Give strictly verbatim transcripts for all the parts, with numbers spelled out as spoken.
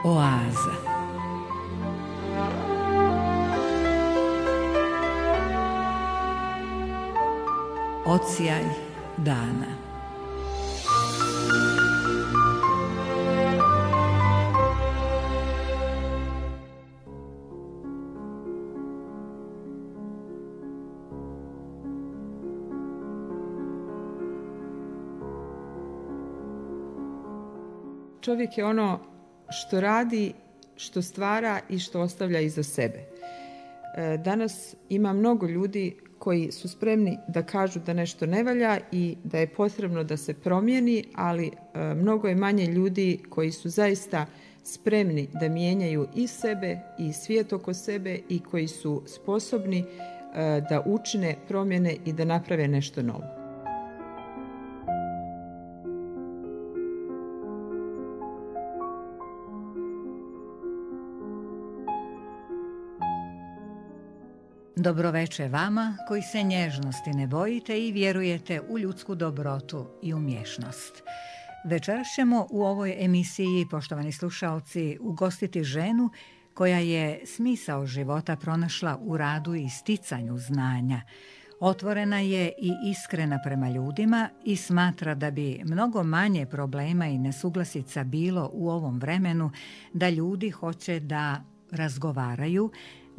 Oaza. Odsjaj dana. Čovjek je ono što radi, što stvara i što ostavlja iza sebe. Danas ima mnogo ljudi koji su spremni da kažu da nešto ne valja i da je potrebno da se promijeni, ali mnogo je manje ljudi koji su zaista spremni da mijenjaju i sebe i svijet oko sebe i koji su sposobni da učine promjene i da naprave nešto novo. Dobroveče vama koji se nježnosti ne bojite i vjerujete u ljudsku dobrotu i umješnost. Večeras ćemo u ovoj emisiji, poštovani slušaoci, ugostiti ženu koja je smisao života pronašla u radu i sticanju znanja. Otvorena je i iskrena prema ljudima i smatra da bi mnogo manje problema i nesuglasica bilo u ovom vremenu da ljudi hoće da razgovaraju,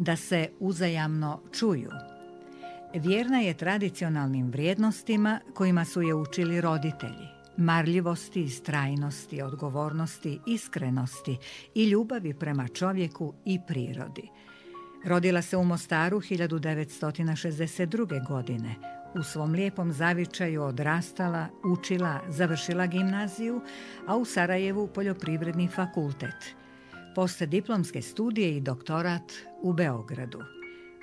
da se uzajamno čuju. Vjerna je tradicionalnim vrijednostima kojima su je učili roditelji. Marljivosti, istrajnosti, odgovornosti, iskrenosti i ljubavi prema čovjeku i prirodi. Rodila se u Mostaru hiljadu devetsto šezdeset druge. godine. U svom lijepom zavičaju odrastala, učila, završila gimnaziju, a u Sarajevu poljoprivredni fakultet. Postdiplomske studije i doktorat u Beogradu.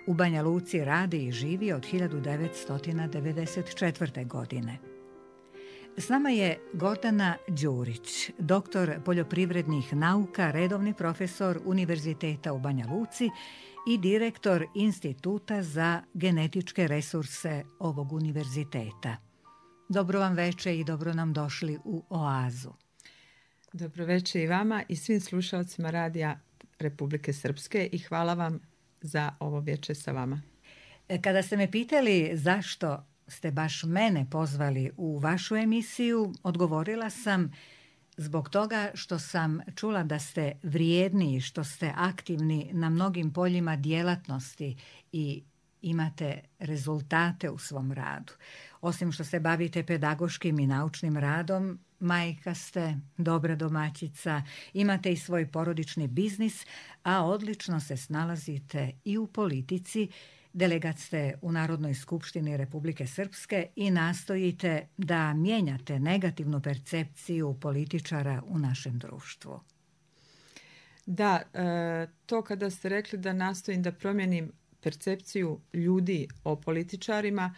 U Banja Luci radi i živi od hiljadu devetsto devedeset četvrte. godine. S nama je Gordana Đurić, doktor poljoprivrednih nauka, redovni profesor Univerziteta u Banja Luci i direktor Instituta za genetičke resurse ovog univerziteta. Dobro vam veče i dobro nam došli u Oazu. Dobroveče i vama i svim slušalcima Radija Republike Srpske i hvala vam za ovo večer sa vama. Kada ste me pitali zašto ste baš mene pozvali u vašu emisiju, odgovorila sam zbog toga što sam čula da ste vrijedni i što ste aktivni na mnogim poljima djelatnosti i imate rezultate u svom radu. Osim što se bavite pedagoškim i naučnim radom, majka ste, dobra domaćica, imate i svoj porodični biznis, a odlično se snalazite i u politici. Delegat ste u Narodnoj skupštini Republike Srpske i nastojite da mijenjate negativnu percepciju političara u našem društvu. Da, to kada ste rekli da nastojim da promijenim percepciju ljudi o političarima,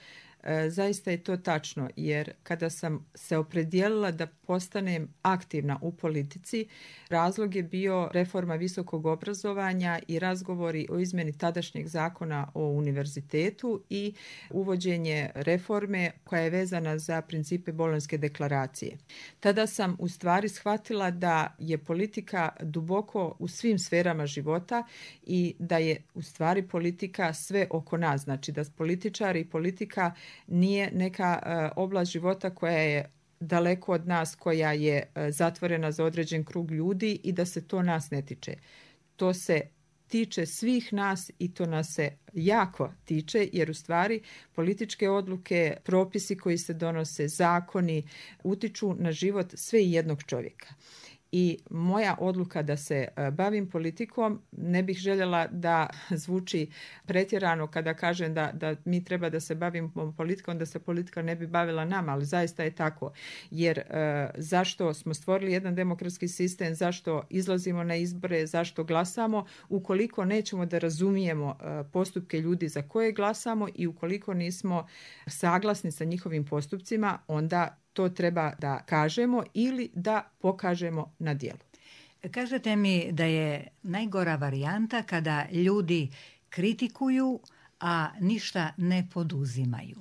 zaista je to tačno, jer kada sam se opredijelila da postanem aktivna u politici, razlog je bio reforma visokog obrazovanja i razgovori o izmjeni tadašnjeg zakona o univerzitetu i uvođenje reforme koja je vezana za principe Bolonjske deklaracije. Tada sam u stvari shvatila da je politika duboko u svim sferama života i da je u stvari politika sve oko nas, znači da političari i politika nije neka uh, oblast života koja je daleko od nas, koja je uh, zatvorena za određen krug ljudi i da se to nas ne tiče. To se tiče svih nas i to nas se jako tiče, jer u stvari političke odluke, propisi koji se donose, zakoni utiču na život sve i jednog čovjeka. I moja odluka da se bavim politikom, ne bih željela da zvuči pretjerano kada kažem da, da mi treba da se bavimo politikom, da se politika ne bi bavila nama, ali zaista je tako. Jer e, zašto smo stvorili jedan demokratski sistem, zašto izlazimo na izbore, zašto glasamo, ukoliko nećemo da razumijemo e, postupke ljudi za koje glasamo i ukoliko nismo saglasni sa njihovim postupcima, onda to treba da kažemo ili da pokažemo na djelu. Kažete mi da je najgora varijanta kada ljudi kritikuju, a ništa ne poduzimaju.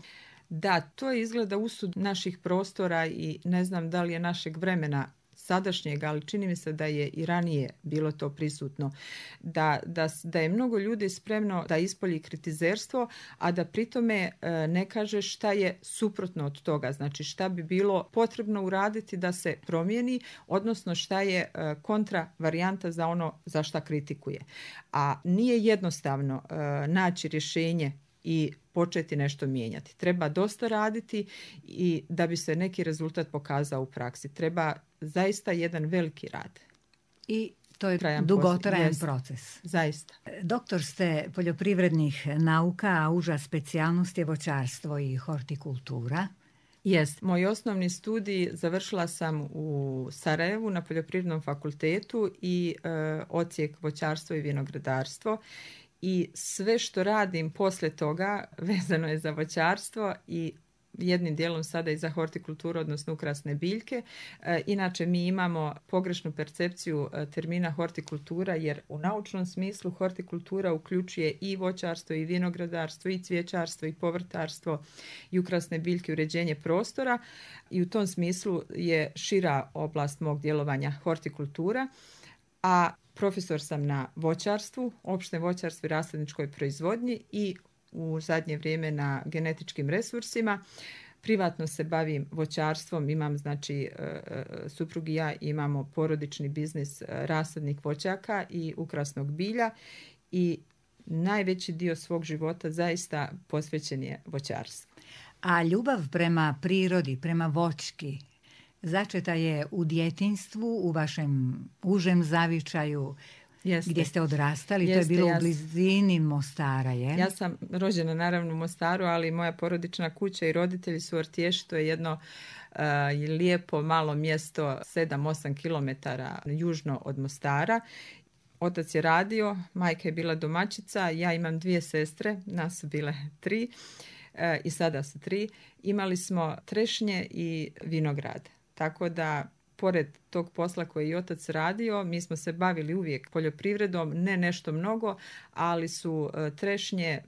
Da, to izgleda usud naših prostora i ne znam da li je našeg vremena sadašnjeg, ali čini mi se da je i ranije bilo to prisutno, da, da, da je mnogo ljudi spremno da ispolji kritizerstvo, a da pritome ne kaže šta je suprotno od toga, znači šta bi bilo potrebno uraditi da se promijeni, odnosno šta je kontra varijanta za ono za šta kritikuje. A nije jednostavno naći rješenje i početi nešto mijenjati. Treba dosta raditi i da bi se neki rezultat pokazao u praksi. Treba zaista jedan veliki rad. I to je trajan dugotrajan post... proces. Zaista. Doktor ste poljoprivrednih nauka, a uža specijalnost je voćarstvo i hortikultura. Jest. Moj osnovni studij završila sam u Sarajevu na Poljoprivrednom fakultetu i e, odsjek voćarstvo i vinogradarstvo. I sve što radim poslije toga vezano je za voćarstvo i jednim dijelom sada i za hortikulturu, odnosno ukrasne biljke. E, inače mi imamo pogrešnu percepciju termina hortikultura, jer u naučnom smislu hortikultura uključuje i voćarstvo i vinogradarstvo i cvijećarstvo i povrtarstvo i ukrasne biljke, uređenje prostora i u tom smislu je šira oblast mog djelovanja hortikultura, a profesor sam na voćarstvu, opštem voćarstvu i rasadničkoj proizvodnji i u zadnje vrijeme na genetičkim resursima. Privatno se bavim voćarstvom, imam znači suprug i ja imamo porodični biznis rasadnik voćaka i ukrasnog bilja i najveći dio svog života zaista posvećen je voćarstvu. A ljubav prema prirodi, prema voćki, začeta je u djetinjstvu, u vašem užem zavičaju, Jeste. Gdje ste odrastali. Jeste, to je bilo ja, u blizini Mostara, je? Ja sam rođena naravno u Mostaru, ali moja porodična kuća i roditelji su Ortješi, to je jedno uh, lijepo malo mjesto sedam osam kilometara južno od Mostara. Otac je radio, majka je bila domaćica, ja imam dvije sestre, nas su bile tri uh, i sada su tri. Imali smo trešnje i vinograd, tako da pored tog posla koji je otac radio, mi smo se bavili uvijek poljoprivredom, ne nešto mnogo, ali su trešnje,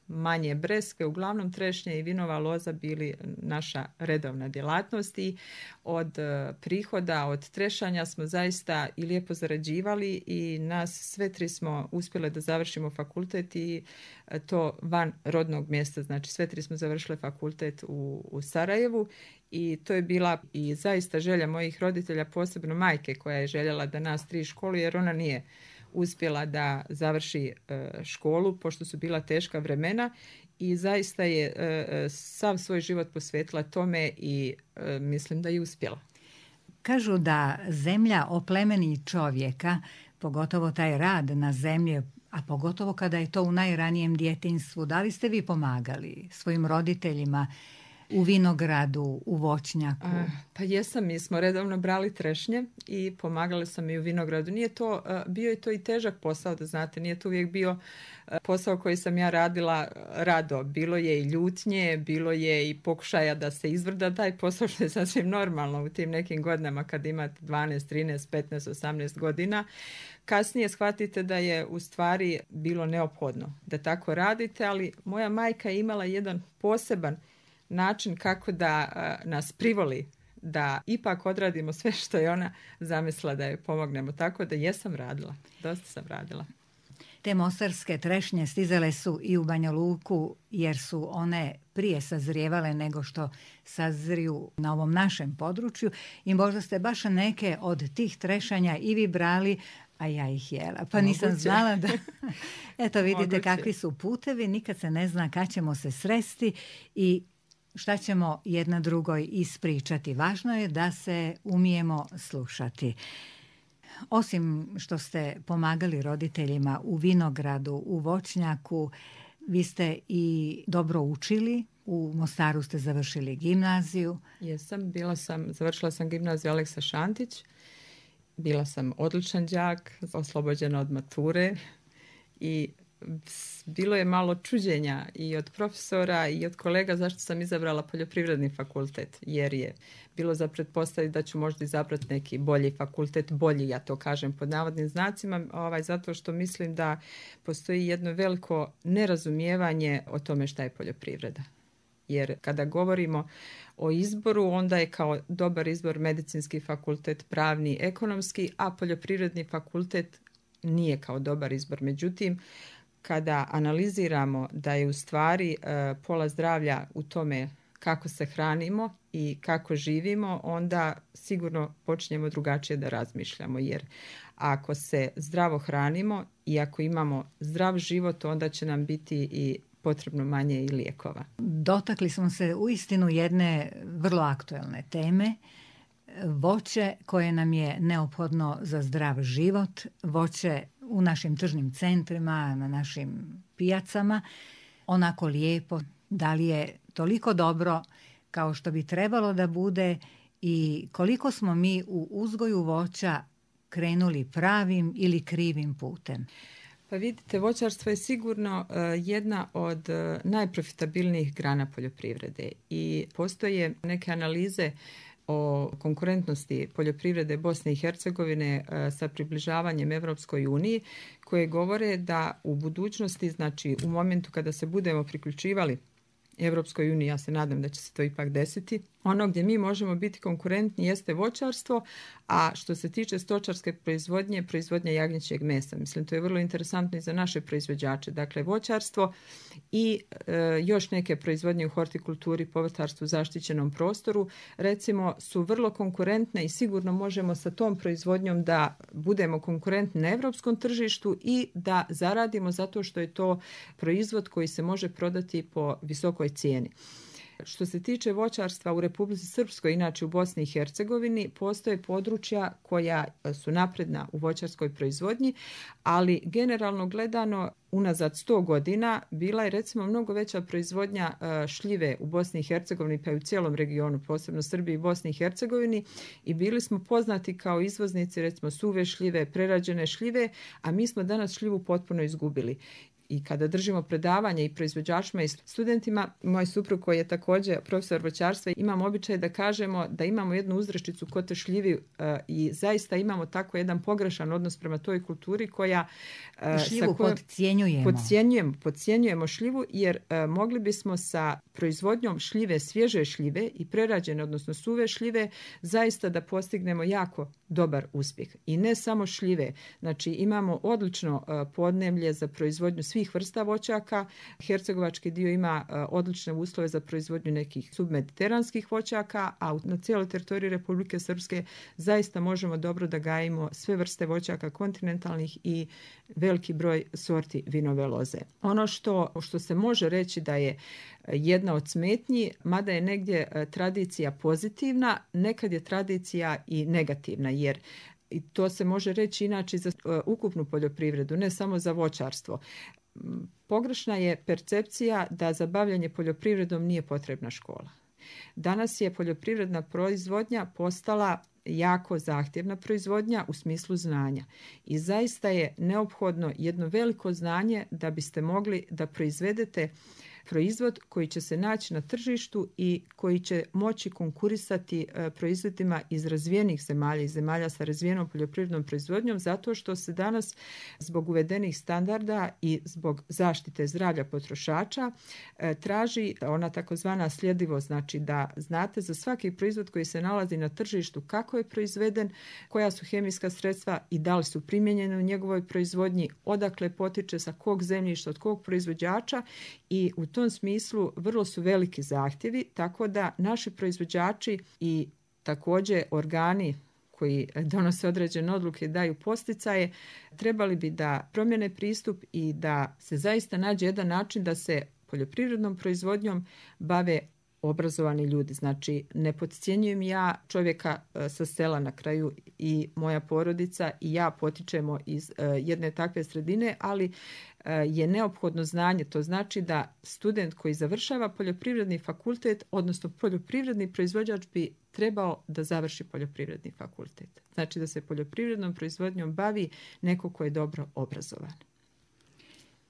manje breske, uglavnom trešnje i vinova loza bili naša redovna djelatnost i od prihoda, od trešanja smo zaista i lijepo zarađivali i nas sve tri smo uspjele da završimo fakultet i to van rodnog mjesta, znači sve tri smo završile fakultet u, u Sarajevu. I to je bila i zaista želja mojih roditelja, posebno majke koja je željela da nas tri školu, jer ona nije uspjela da završi školu pošto su bila teška vremena i zaista je sav svoj život posvetila tome i mislim da je uspjela. Kažu da zemlja oplemeni čovjeka, pogotovo taj rad na zemlji, a pogotovo kada je to u najranijem djetinjstvu. Da li ste vi pomagali svojim roditeljima u vinogradu, u voćnjaku? A, pa jesam, mi smo redovno brali trešnje i pomagali sam i u vinogradu. Nije to, bio je to i težak posao, da znate, nije to uvijek bio posao koji sam ja radila rado. Bilo je i ljutnje, bilo je i pokušaja da se izvrda taj posao, što je sasvim normalno u tim nekim godinama kad imate dvanaest, trinaest, petnaest, osamnaest godina. Kasnije shvatite da je u stvari bilo neophodno da tako radite, ali moja majka je imala jedan poseban način kako da uh, nas privoli da ipak odradimo sve što je ona zamislila da joj pomognemo. Tako da jesam radila, dosta sam radila. Te mostarske trešnje stizale su i u Banja Luku jer su one prije sazrijevale nego što sazriju na ovom našem području i možda ste baš neke od tih trešanja i vi brali, a ja ih jela. Pa nisam Moguće. znala da... Eto vidite Moguće. kakvi su putevi, nikad se ne zna kad ćemo se sresti i šta ćemo jedna drugoj ispričati. Važno je da se umijemo slušati. Osim što ste pomagali roditeljima u vinogradu, u voćnjaku, vi ste i dobro učili. U Mostaru ste završili gimnaziju. Jesam, bila sam, završila sam gimnaziju Aleksa Šantić. Bila sam odličan đak, oslobođena od mature i bilo je malo čuđenja i od profesora i od kolega zašto sam izabrala poljoprivredni fakultet, jer je bilo za pretpostaviti da ću možda izabrati neki bolji fakultet, bolji, ja to kažem pod navodnim znacima, ovaj, zato što mislim da postoji jedno veliko nerazumijevanje o tome šta je poljoprivreda. Jer kada govorimo o izboru, onda je kao dobar izbor medicinski fakultet, pravni, ekonomski, a poljoprivredni fakultet nije kao dobar izbor. Međutim, kada analiziramo da je u stvari pola zdravlja u tome kako se hranimo i kako živimo, onda sigurno počinjemo drugačije da razmišljamo. Jer ako se zdravo hranimo i ako imamo zdrav život, onda će nam biti i potrebno manje i lijekova. Dotakli smo se uistinu jedne vrlo aktuelne teme. Voće koje nam je neophodno za zdrav život, voće u našim tržnim centrima, na našim pijacama, onako lijepo, da li je toliko dobro kao što bi trebalo da bude i koliko smo mi u uzgoju voća krenuli pravim ili krivim putem. Pa vidite, voćarstvo je sigurno uh, jedna od uh, najprofitabilnijih grana poljoprivrede i postoje neke analize o konkurentnosti poljoprivrede Bosne i Hercegovine uh, sa približavanjem Evropskoj uniji koje govore da u budućnosti, znači u momentu kada se budemo priključivali Evropskoj uniji, ja se nadam da će se to ipak desiti, ono gdje mi možemo biti konkurentni jeste voćarstvo, a što se tiče stočarske proizvodnje, proizvodnja jagnjećeg mesa. Mislim, to je vrlo interesantno i za naše proizvođače. Dakle, voćarstvo i e, još neke proizvodnje u hortikulturi, povrtarstvu, zaštićenom prostoru, recimo, su vrlo konkurentne i sigurno možemo sa tom proizvodnjom da budemo konkurentni na evropskom tržištu i da zaradimo zato što je to proizvod koji se može prodati po visokoj cijeni. Što se tiče voćarstva u Republici Srpskoj, inače u Bosni i Hercegovini, postoje područja koja su napredna u voćarskoj proizvodnji, ali generalno gledano unazad sto godina bila je recimo mnogo veća proizvodnja šljive u Bosni i Hercegovini pa i u cijelom regionu, posebno Srbiji i Bosni i Hercegovini, i bili smo poznati kao izvoznici recimo suve šljive, prerađene šljive, a mi smo danas šljivu potpuno izgubili. I kada držimo predavanje i proizvođačima i studentima, moj suprug koji je također profesor voćarstva, imamo običaj da kažemo da imamo jednu uzrečicu kod te šljivi uh, i zaista imamo tako jedan pogrešan odnos prema toj kulturi koja uh, šljivu podcjenjujemo. Podcjenjujemo, podcjenjujemo šljivu jer uh, mogli bismo sa proizvodnjom šljive, svježe šljive i prerađene, odnosno suve šljive, zaista da postignemo jako dobar uspjeh. I ne samo šljive, znači imamo odlično uh, podneblje za proizvodnju svih vrsta voćaka. Hercegovački dio ima uh, odlične uslove za proizvodnju nekih submediteranskih voćaka, a na cijeloj teritoriji Republike Srpske zaista možemo dobro da gajimo sve vrste voćaka kontinentalnih i veliki broj sorti vinove loze. Ono što, što se može reći da je jedna od smetnji, mada je negdje uh, tradicija pozitivna, nekad je tradicija i negativna, jer i to se može reći inače za uh, ukupnu poljoprivredu, ne samo za voćarstvo. Pogrešna je percepcija da za bavljanje poljoprivredom nije potrebna škola. Danas je poljoprivredna proizvodnja postala jako zahtjevna proizvodnja u smislu znanja. I zaista je neophodno jedno veliko znanje da biste mogli da proizvedete proizvod koji će se naći na tržištu i koji će moći konkurisati proizvodima iz razvijenih zemalja i zemalja sa razvijenom poljoprivrednom proizvodnjom, zato što se danas zbog uvedenih standarda i zbog zaštite zdravlja potrošača traži ona takozvana sljedivost, znači da znate za svaki proizvod koji se nalazi na tržištu kako je proizveden, koja su hemijska sredstva i da li su primijenjene u njegovoj proizvodnji, odakle potiče, sa kog zemljišta, od kog proizvođača, i u U tom smislu vrlo su veliki zahtjevi, tako da naši proizvođači i također organi koji donose određene odluke, daju posticaje, trebali bi da promjene pristup i da se zaista nađe jedan način da se poljoprivrednom proizvodnjom bave obrazovani ljudi. Znači, ne podcjenjujem ja čovjeka sa sela, na kraju i moja porodica i ja potičemo iz jedne takve sredine, ali je neophodno znanje. To znači da student koji završava poljoprivredni fakultet, odnosno poljoprivredni proizvođač, bi trebao da završi poljoprivredni fakultet. Znači da se poljoprivrednom proizvodnjom bavi neko ko je dobro obrazovan.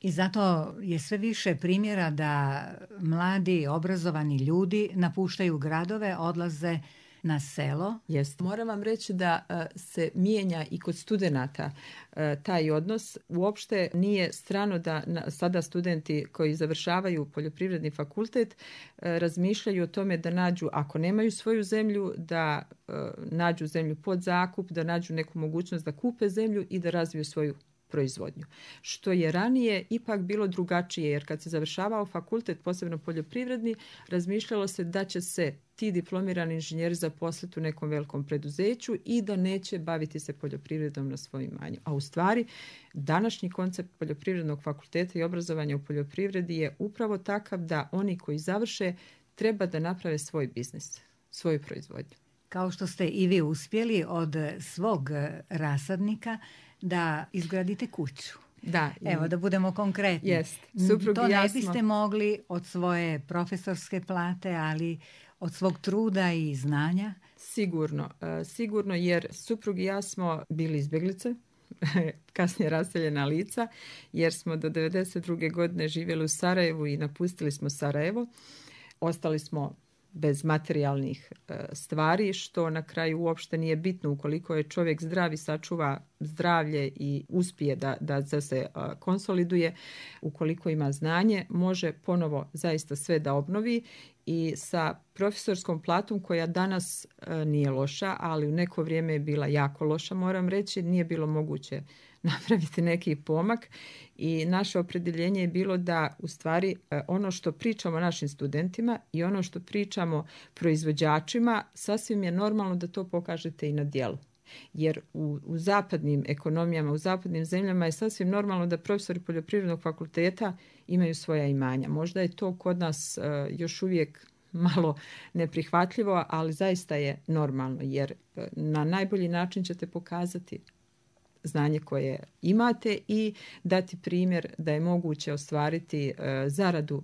I zato je sve više primjera da mladi, obrazovani ljudi napuštaju gradove, odlaze na selo. Jest. Moram vam reći da se mijenja i kod studenata taj odnos. Uopšte nije strano da sada studenti koji završavaju poljoprivredni fakultet razmišljaju o tome da nađu, ako nemaju svoju zemlju, da nađu zemlju pod zakup, da nađu neku mogućnost da kupe zemlju i da razviju svoju proizvodnju. Što je ranije ipak bilo drugačije, jer kad se završavao fakultet, posebno poljoprivredni, razmišljalo se da će se ti diplomirani inženjeri zaposliti u nekom velikom preduzeću i da neće baviti se poljoprivredom na svojim imanju. A u stvari, današnji koncept poljoprivrednog fakulteta i obrazovanja u poljoprivredi je upravo takav da oni koji završe treba da naprave svoj biznis, svoju proizvodnju. Kao što ste i vi uspjeli od svog rasadnika da izgradite kuću. Da, evo da budemo konkretni. Jest. To ne jasno... biste mogli od svoje profesorske plate, ali od svog truda i znanja? Sigurno, sigurno jer suprug i ja smo bili izbjeglice, kasnije raseljena lica, jer smo do devedeset druge godine živjeli u Sarajevu i napustili smo Sarajevo. Ostali smo bez materijalnih stvari, što na kraju uopšte nije bitno ukoliko je čovjek zdrav i sačuva zdravlje i uspije da, da, da se konsoliduje, ukoliko ima znanje, može ponovo zaista sve da obnovi i sa profesorskom platom koja danas nije loša, ali u neko vrijeme je bila jako loša, moram reći, nije bilo moguće napraviti neki pomak i naše opredjeljenje je bilo da u stvari ono što pričamo našim studentima i ono što pričamo proizvođačima, sasvim je normalno da to pokažete i na djelu. Jer u, u zapadnim ekonomijama, u zapadnim zemljama je sasvim normalno da profesori poljoprivrednog fakulteta imaju svoja imanja. Možda je to kod nas uh, još uvijek malo neprihvatljivo, ali zaista je normalno jer uh, na najbolji način ćete pokazati znanje koje imate i dati primjer da je moguće ostvariti uh, zaradu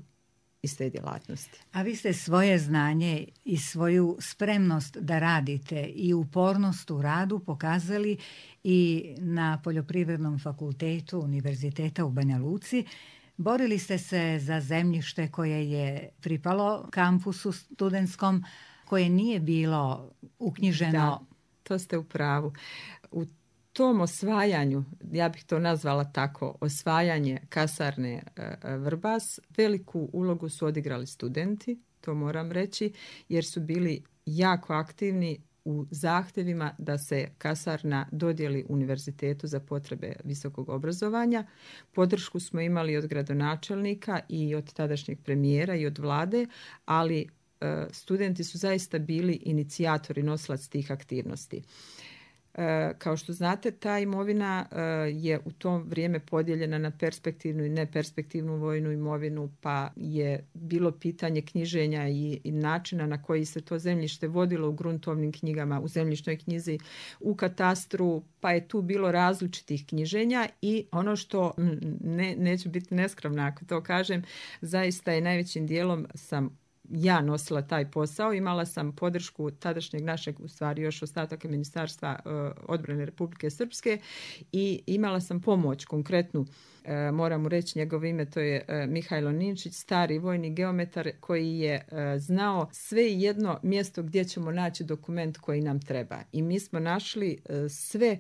iz te djelatnosti. A vi ste svoje znanje i svoju spremnost da radite i upornost u radu pokazali i na Poljoprivrednom fakultetu Univerziteta u Banja Luci. Borili ste se za zemljište koje je pripalo kampusu studentskom, koje nije bilo uknjiženo. Da, to ste u pravu. U tom osvajanju, ja bih to nazvala tako, osvajanje kasarne Vrbas, veliku ulogu su odigrali studenti, to moram reći, jer su bili jako aktivni u zahtjevima da se kasarna dodijeli univerzitetu za potrebe visokog obrazovanja. Podršku smo imali od gradonačelnika i od tadašnjeg premijera i od vlade, ali e, studenti su zaista bili inicijatori, nosilac tih aktivnosti. Kao što znate, ta imovina je u to vrijeme podijeljena na perspektivnu i neperspektivnu vojnu imovinu, pa je bilo pitanje knjiženja i, i načina na koji se to zemljište vodilo u gruntovnim knjigama, u zemljišnoj knjizi, u katastru, pa je tu bilo različitih knjiženja i ono što, ne, neću biti neskromna ako to kažem, zaista je najvećim dijelom sam ja nosila taj posao, imala sam podršku tadašnjeg našeg, u stvari još ostataka Ministarstva uh, odbrane Republike Srpske i imala sam pomoć konkretnu, uh, moram mu reći njegovo ime, to je uh, Mihajlo Ninčić, stari vojni geometar koji je uh, znao sve jedno mjesto gdje ćemo naći dokument koji nam treba. I mi smo našli uh, sve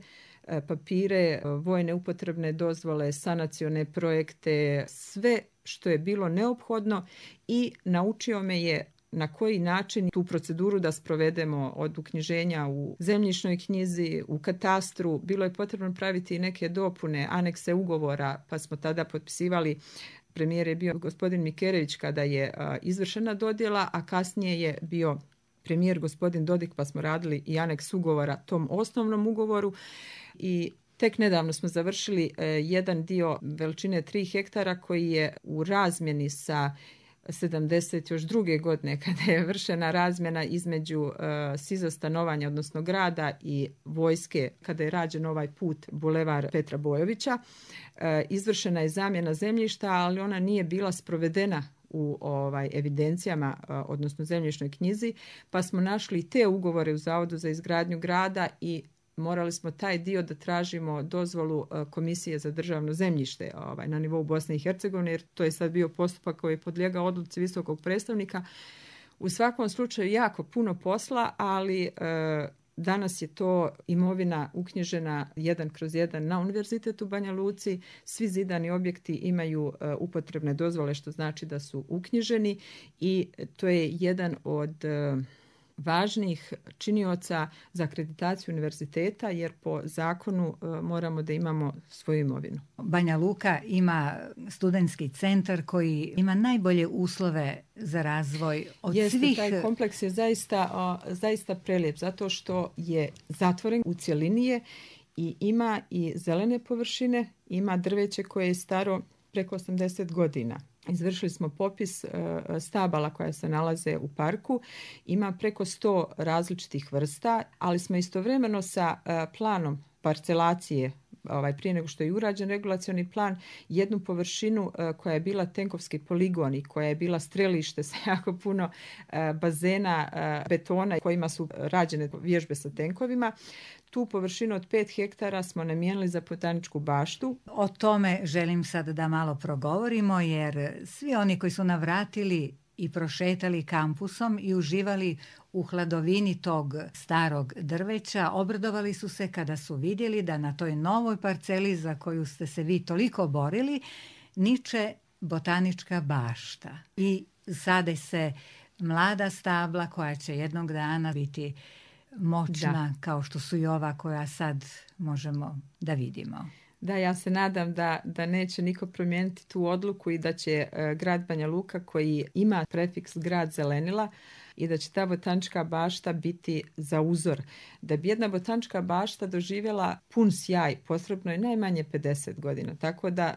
papire, vojne upotrebne dozvole, sanacione projekte, sve što je bilo neophodno i naučio me je na koji način tu proceduru da sprovedemo od uknjiženja u zemljišnoj knjizi, u katastru. Bilo je potrebno praviti neke dopune, anekse ugovora, pa smo tada potpisivali. Premijer je bio gospodin Mikerević kada je izvršena dodjela, a kasnije je bio premijer gospodin Dodik, pa smo radili i aneks ugovora tom osnovnom ugovoru i tek nedavno smo završili eh, jedan dio veličine tri hektara koji je u razmjeni sa sedamdeset druge godine kada je vršena razmjena između uh, SIZ-a stanovanja, odnosno grada i vojske, kada je rađen ovaj put Bulevar Petra Bojovića. Uh, izvršena je zamjena zemljišta, ali ona nije bila sprovedena u ovaj evidencijama, uh, odnosno zemljišnoj knjizi, pa smo našli te ugovore u Zavodu za izgradnju grada i morali smo taj dio da tražimo dozvolu Komisije za državno zemljište ovaj, na nivou Bosne i Hercegovine, jer to je sad bio postupak koji je podlijegao odluci visokog predstavnika. U svakom slučaju jako puno posla, ali e, danas je to imovina uknjižena jedan kroz jedan na Univerzitetu u Banja Luci. Svi zidani objekti imaju e, upotrebne dozvole, što znači da su uknjiženi i to je jedan od e, važnih činioca za akreditaciju univerziteta, jer po zakonu e, moramo da imamo svoju imovinu. Banja Luka ima studentski centar koji ima najbolje uslove za razvoj od Jeste, svih. Taj kompleks je zaista, o, zaista prelijep zato što je zatvoren u cjelini je i ima i zelene površine, ima drveće koje je staro preko osamdeset godina. Izvršili smo popis stabala koja se nalaze u parku. Ima preko sto različitih vrsta, ali smo istovremeno sa planom parcelacije, ovaj, prije nego što je urađen regulacioni plan, jednu površinu koja je bila tenkovski poligon i koja je bila strelište sa jako puno bazena betona kojima su rađene vježbe sa tenkovima. Tu površinu od pet hektara smo namijenili za botaničku baštu. O tome želim sad da malo progovorimo, jer svi oni koji su navratili i prošetali kampusom i uživali u hladovini tog starog drveća, obradovali su se kada su vidjeli da na toj novoj parceli za koju ste se vi toliko borili niče botanička bašta. I sade se mlada stabla koja će jednog dana biti moćna, da, kao što su i ova koja sad možemo da vidimo. Da, ja se nadam da, da neće niko promijeniti tu odluku i da će uh, grad Banja Luka, koji ima prefiks grad zelenila, i da će ta botanička bašta biti za uzor. Da bi jedna botanička bašta doživjela pun sjaj, potrebno je najmanje pedeset godina. Tako da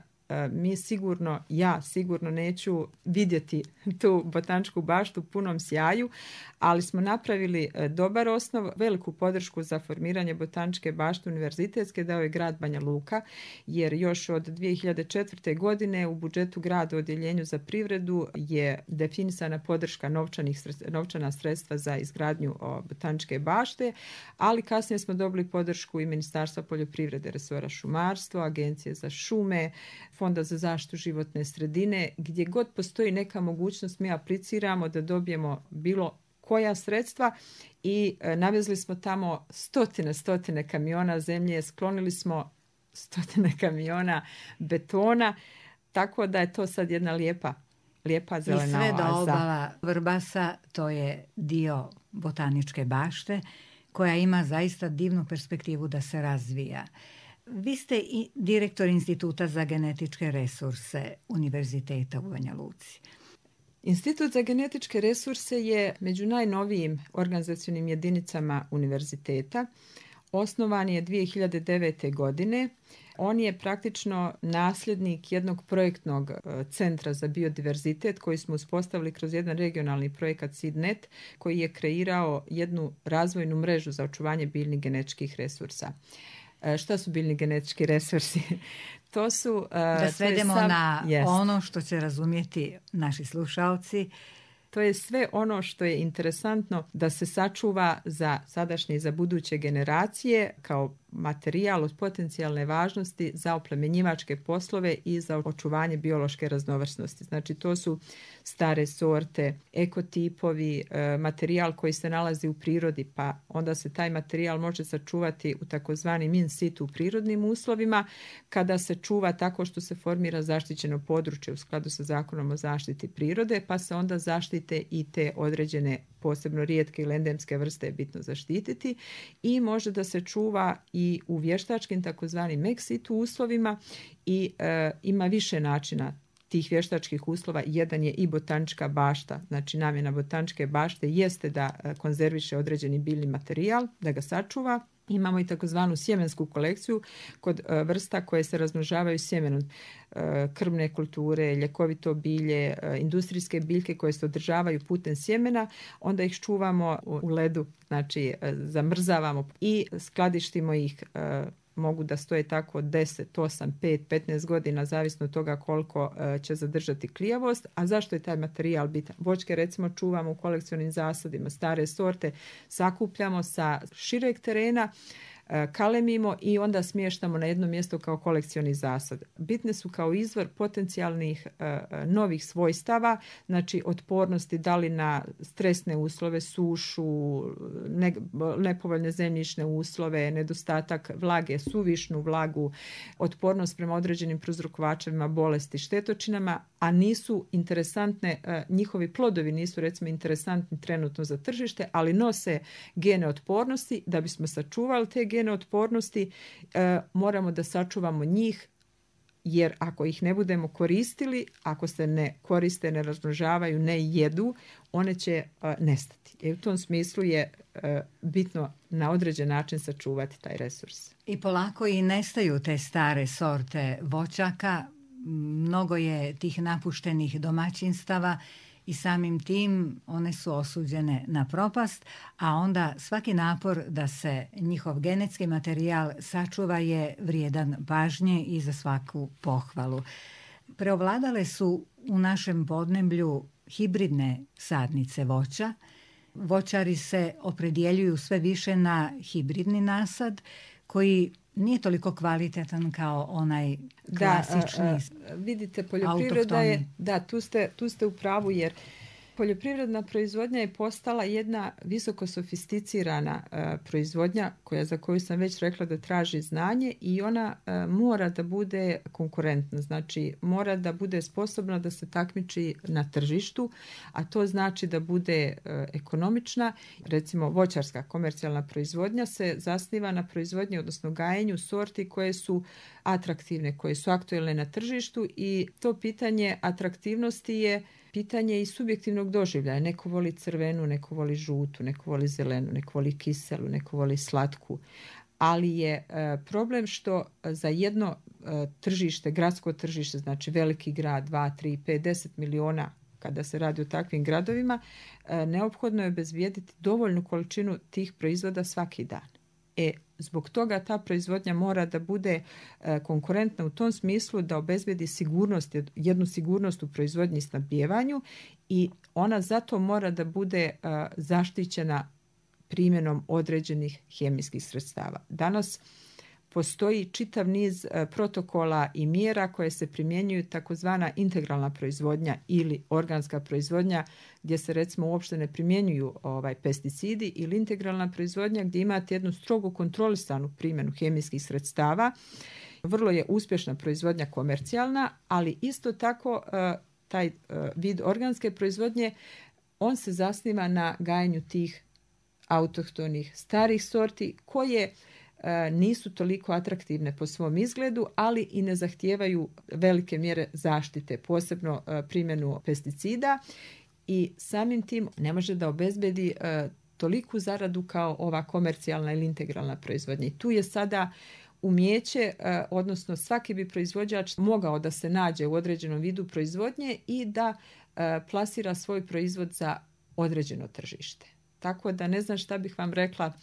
mi sigurno, ja sigurno neću vidjeti tu botaničku baštu u punom sjaju, ali smo napravili dobar osnov, veliku podršku za formiranje botaničke bašte univerzitetske dao je grad Banja Luka, jer još od dvije hiljade četvrte. godine u budžetu grada u odjeljenju za privredu je definisana podrška novčanih, novčana sredstva za izgradnju botaničke bašte, ali kasnije smo dobili podršku i Ministarstva poljoprivrede, resora šumarstva, Agencije za šume, Fonda za zaštitu životne sredine. Gdje god postoji neka mogućnost, mi apliciramo da dobijemo bilo koja sredstva i e, navezli smo tamo stotine, stotine kamiona zemlje, sklonili smo stotine kamiona betona, tako da je to sad jedna lijepa, lijepa zelena oaza. I sve do obala Vrbasa, to je dio botaničke bašte koja ima zaista divnu perspektivu da se razvija. Vi ste i direktor Instituta za genetičke resurse Univerziteta u Banja Luci. Institut za genetičke resurse je među najnovijim organizacionim jedinicama univerziteta. Osnovan je dvije hiljade devete. godine. On je praktično nasljednik jednog projektnog centra za biodiverzitet koji smo uspostavili kroz jedan regionalni projekat SeedNet koji je kreirao jednu razvojnu mrežu za očuvanje biljnih genetičkih resursa. Šta su biljni genetički resursi? To su... Uh, da svedemo sam, na jest. ono što će razumjeti naši slušalci. To je sve ono što je interesantno da se sačuva za sadašnje i za buduće generacije kao materijal od potencijalne važnosti za oplemenjivačke poslove i za očuvanje biološke raznovrsnosti. Znači to su stare sorte, ekotipovi, materijal koji se nalazi u prirodi, pa onda se taj materijal može sačuvati u takozvanim in situ u prirodnim uslovima, kada se čuva tako što se formira zaštićeno područje u skladu sa Zakonom o zaštiti prirode, pa se onda zaštite i te određene posebno rijetke ili endemske vrste je bitno zaštititi i može da se čuva i u vještačkim takozvanim ex situ uslovima i e, ima više načina tih vještačkih uslova. Jedan je i botanička bašta, znači namjena botaničke bašte jeste da konzerviše određeni biljni materijal, da ga sačuva. Imamo i takozvanu sjemensku kolekciju kod e, vrsta koje se razmnožavaju sjemenom, e, krmne kulture, ljekovito bilje, e, industrijske biljke koje se održavaju putem sjemena, onda ih čuvamo u, u ledu, znači e, zamrzavamo i skladištimo ih. E, mogu da stoje tako deset, osam, pet, petnaest godina, zavisno od toga koliko e, će zadržati klijavost. A zašto je taj materijal bitan? Voćke recimo čuvamo u kolekcionim zasadima, stare sorte sakupljamo sa šireg terena, kalemimo i onda smještamo na jedno mjesto kao kolekcioni zasad. Bitne su kao izvor potencijalnih novih svojstava, znači otpornosti da li na stresne uslove, sušu, ne, nepovoljne zemljišne uslove, nedostatak vlage, suvišnu vlagu, otpornost prema određenim prouzrokovačevima bolesti, štetočinama, a nisu interesantne, njihovi plodovi nisu recimo interesantni trenutno za tržište, ali nose gene otpornosti. Da bismo sačuvali te gene otpornosti, moramo da sačuvamo njih, jer ako ih ne budemo koristili, ako se ne koriste, ne razmnožavaju, ne jedu, one će uh, nestati. I u tom smislu je uh, bitno na određen način sačuvati taj resurs. I polako i nestaju te stare sorte voćaka. Mnogo je tih napuštenih domaćinstava i samim tim one su osuđene na propast, a onda svaki napor da se njihov genetski materijal sačuva je vrijedan pažnje i za svaku pohvalu. Preovladale su u našem podneblju hibridne sadnice voća. Voćari se opredjeljuju sve više na hibridni nasad koji nije toliko kvalitetan kao onaj klasični. Da, a, a, vidite, poljoprivreda je, da, tu ste, tu ste u pravu, jer poljoprivredna proizvodnja je postala jedna visoko sofisticirana uh, proizvodnja koja, za koju sam već rekla da traži znanje i ona uh, mora da bude konkurentna, znači mora da bude sposobna da se takmiči na tržištu, a to znači da bude uh, ekonomična. Recimo voćarska komercijalna proizvodnja se zasniva na proizvodnji, odnosno gajenju sorti koje su atraktivne, koje su aktuelne na tržištu i to pitanje atraktivnosti je pitanje i subjektivnog doživljaja. Neko voli crvenu, neko voli žutu, neko voli zelenu, neko voli kiselu, neko voli slatku. Ali je e, problem što za jedno e, tržište, gradsko tržište, znači veliki grad, dva, tri, pet, deset miliona, kada se radi o takvim gradovima, e, neophodno je obezbijediti dovoljnu količinu tih proizvoda svaki dan. E, zbog toga ta proizvodnja mora da bude e, konkurentna u tom smislu da obezbedi sigurnost, jednu sigurnost u proizvodnji i snabdijevanju i ona zato mora da bude e, zaštićena primjenom određenih hemijskih sredstava. Danas postoji čitav niz e, protokola i mjera koje se primjenjuju, takozvana integralna proizvodnja ili organska proizvodnja, gdje se recimo uopšte ne primjenjuju ovaj, pesticidi, ili integralna proizvodnja gdje imate jednu strogo kontrolisanu primjenu hemijskih sredstava. Vrlo je uspješna proizvodnja komercijalna, ali isto tako e, taj e, vid organske proizvodnje, on se zasniva na gajenju tih autohtonih starih sorti koje nisu toliko atraktivne po svom izgledu, ali i ne zahtijevaju velike mjere zaštite, posebno primjenu pesticida i samim tim ne može da obezbedi toliku zaradu kao ova komercijalna ili integralna proizvodnja. I tu je sada umijeće, odnosno svaki bi proizvođač mogao da se nađe u određenom vidu proizvodnje i da plasira svoj proizvod za određeno tržište. Tako da ne znam šta bih vam rekla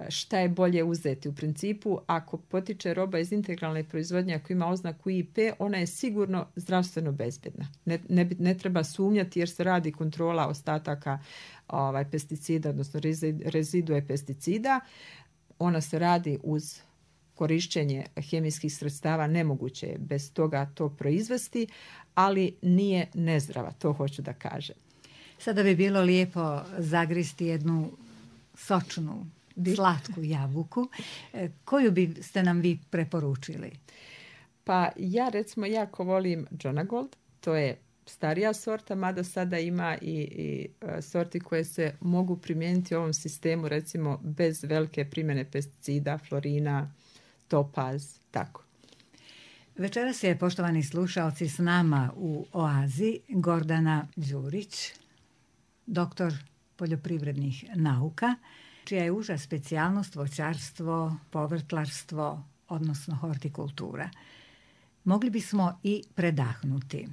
šta je bolje uzeti. U principu, ako potiče roba iz integralne proizvodnje, ako ima oznaku I P, ona je sigurno zdravstveno bezbedna. Ne, ne, ne treba sumnjati jer se radi kontrola ostataka ovaj, pesticida, odnosno rezidue pesticida. Ona se radi uz korišćenje hemijskih sredstava, nemoguće je bez toga to proizvesti, ali nije nezdrava, to hoću da kažem. Sada bi bilo lijepo zagristi jednu sočnu, slatku jabuku. Koju biste nam vi preporučili? Pa ja recimo jako volim Jonagold. To je starija sorta, mada sada ima i, i sorti koje se mogu primijeniti u ovom sistemu, recimo bez velike primjene pesticida, florina, topaz, tako. Večeras je, poštovani slušalci, s nama u Oazi Gordana Đurić, doktor poljoprivrednih nauka, čija je uža specijalnost voćarstvo, povrtlarstvo, odnosno hortikultura. Mogli bismo i predahnuti.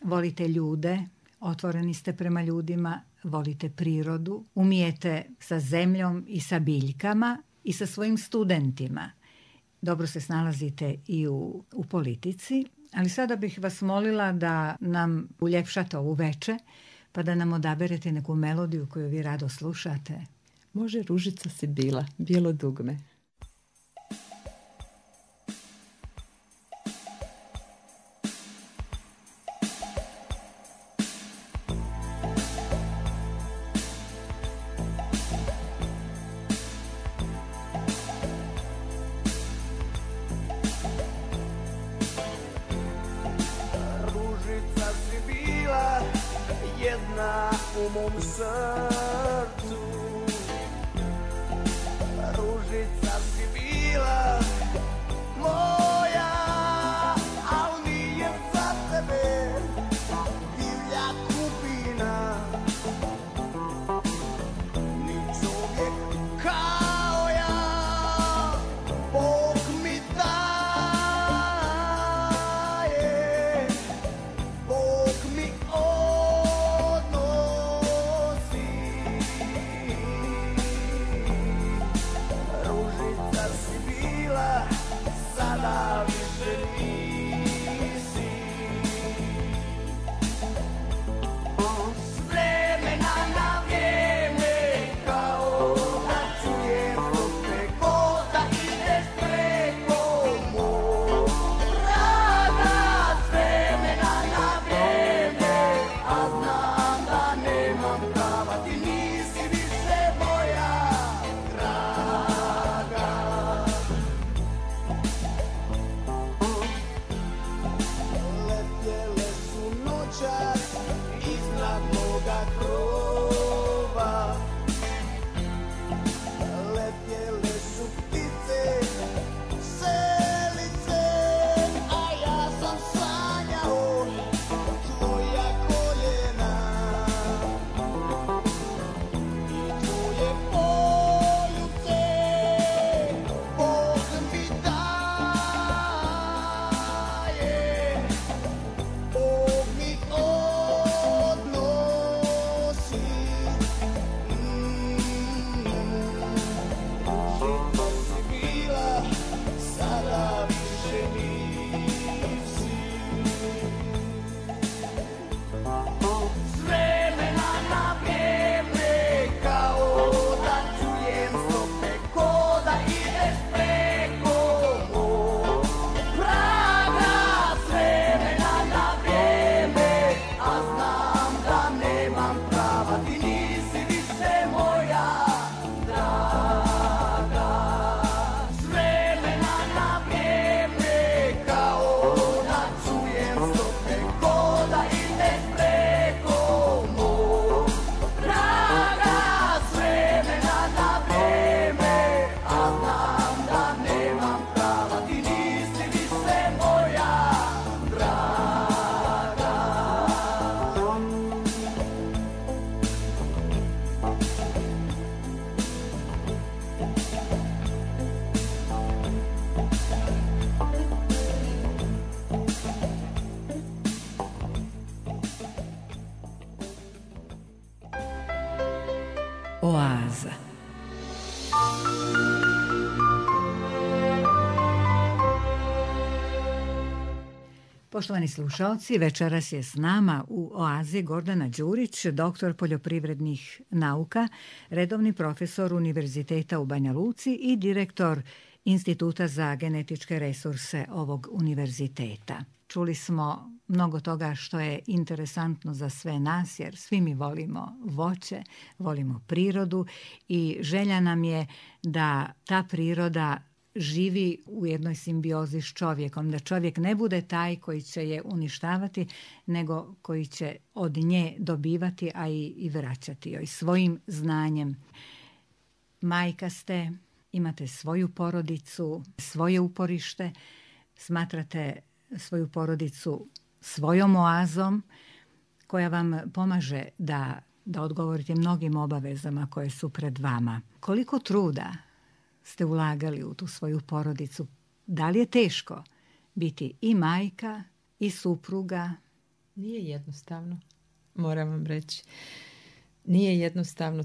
Volite ljude, otvoreni ste prema ljudima, volite prirodu, umijete sa zemljom i sa biljkama i sa svojim studentima. Dobro se snalazite i u, u politici, ali sada bih vas molila da nam uljepšate ovu veče, pa da nam odaberete neku melodiju koju vi rado slušate. Može Ružica Sibila, Bijelo dugme. u mom srcu. Ružica si bila moja, al nije za tebe divlja kupina, ni čovjek kao ja. Bog mi daje, Bog mi odnosi. Ružica si bila, sada više nisi. S vremena na vrijeme, kao da čujem rupe, ko da ideš preko mog praga. S vremena na vrijeme, a znam da nemam prava, ti nisi više moja draga. Letjele su noćas iznad moga krova, letjele su ptice, selice, a ja sam sanjao tvoja koljena i tvoje poljubce. Bog mi daje, Bog mi odnosi. Ružica si bila, sada više nisi. S vremena na vrijeme, kao da čujem stope, ko da ideš preko mog praga. S vremena na vrijeme, a znam da nemam prava, ti nisi više moja draga. S vremena na vrijeme, kao da čujem stope, ko da ideš preko mog praga. S vremena na vrijeme, a znam da nemam prava, ti nisi više moja draga. Oaza. Poštovani slušalci, večeras je s nama u Oazi Gordana Đurić, doktor poljoprivrednih nauka, redovni profesor Univerziteta u Banja Luci i direktor Instituta za genetičke resurse ovog univerziteta. Čuli smo mnogo toga što je interesantno za sve nas, jer svi mi volimo voće, volimo prirodu i želja nam je da ta priroda živi u jednoj simbiozi s čovjekom, da čovjek ne bude taj koji će je uništavati, nego koji će od nje dobivati, a i, i vraćati joj svojim znanjem. Majka ste, imate svoju porodicu, svoje uporište, smatrate svoju porodicu svojom oazom koja vam pomaže da, da odgovorite mnogim obavezama koje su pred vama. Koliko truda ste ulagali u tu svoju porodicu? Da li je teško biti i majka i supruga? Nije jednostavno, moram vam reći. Nije jednostavno.